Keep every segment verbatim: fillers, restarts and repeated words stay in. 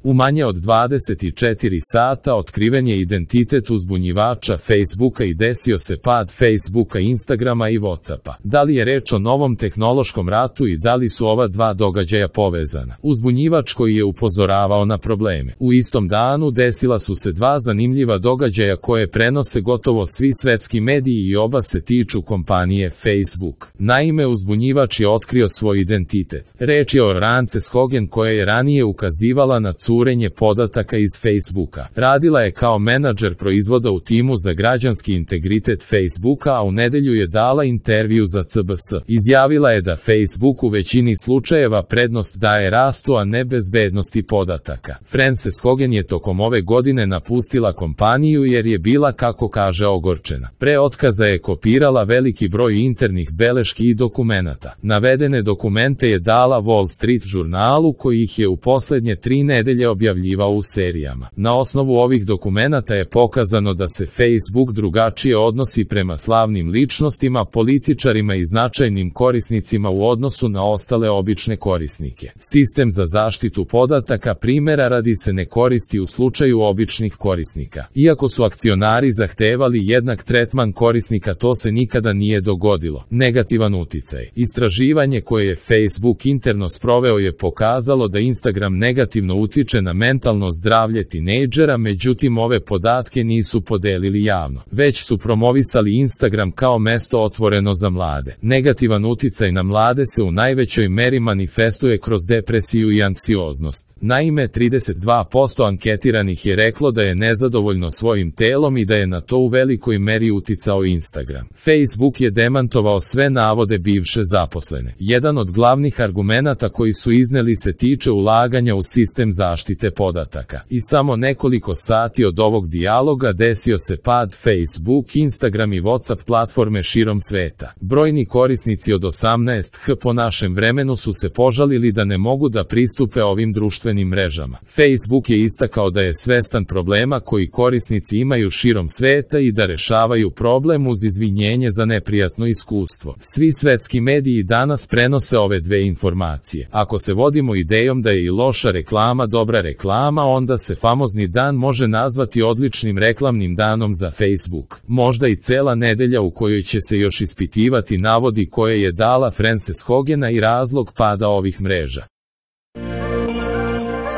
U manje od dvadeset četiri sata otkriven je identitet uzbunjivača Facebooka i desio se pad Facebooka, Instagrama i Whatsappa. Da li je reč o novom tehnološkom ratu i da li su ova dva događaja povezana? Uzbunjivač koji je upozoravao na probleme. U istom danu desila su se dva zanimljiva događaja koje prenose gotovo svi svetski mediji i oba se tiču kompanije Facebook. Naime, uzbunjivač je otkrio svoj identitet. Reč je o Frances Haugen koja je ranije ukazivala na curenje podataka iz Facebooka. Radila je kao menadžer proizvoda u timu za građanski integritet Facebooka, a u nedelju je dala intervju za C B S. Izjavila je da Facebook u većini slučajeva prednost daje rastu, a ne bezbednosti podataka. Frances Haugen je tokom ove godine napustila kompaniju jer je bila, kako kaže, ogorčena. Pre otkaza je kopirala veliki broj internih beleški i dokumenata. Navedene dokumente je dala Wall Street žurnalu koji ih je u poslednje tri nedelje objavljivao u serijama. Na osnovu ovih dokumenata je pokazano da se Facebook drugačije odnosi prema slavnim ličnostima, političarima i značajnim korisnicima u odnosu na ostale obične korisnike. Sistem za zaštitu podataka primjera radi se ne koristi u slučaju običnih korisnika. Iako su akcionari zahtevali jednak tretman korisnika, to se nikada nije dogodilo. Negativan uticaj. Istraživanje koje je Facebook interno sproveo je pokazalo da Instagram negativno utiče na mentalno zdravlje tinejdžera, međutim ove podatke nisu podelili javno. Već su promovisali Instagram kao mesto otvoreno za mlade. Negativan uticaj na mlade se u najvećoj meri manifestuje kroz depresiju i anksioznost. Naime, trideset dva posto anketiranih je reklo da je nezadovoljno svojim telom i da je na to u velikoj meri uticao Instagram. Facebook je demantovao sve navode bivše zaposlene. Jedan od glavnih argumenata koji su izneli se tiče ulaganja u sistem zaštite podataka. I samo nekoliko sati od ovog dijaloga desio se pad Facebook, Instagram i Whatsapp platforme širom sveta. Brojni korisnici od osamnaest hiljada po našem vremenu su se požalili da ne mogu da pristupe ovim društvenim mrežama. Facebook je istakao da je svestan problema koji korisnici imaju širom sveta i da rešavaju problem uz izvinjenje za neprijatno iskustvo. Svi svetski mediji danas prenose ove dve informacije. Ako se vodimo idejom da je i loša reklama dobra reklama, onda se famozni dan može nazvati odličnim reklamnim danom za Facebook. Možda i cela nedelja u kojoj će se još ispitivati navodi koje je dala Frances Haugena i razlog pada ovih mreža.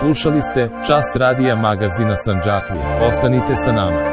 Slušali ste Čas radija magazina Sandžaklije. Ostanite sa nama.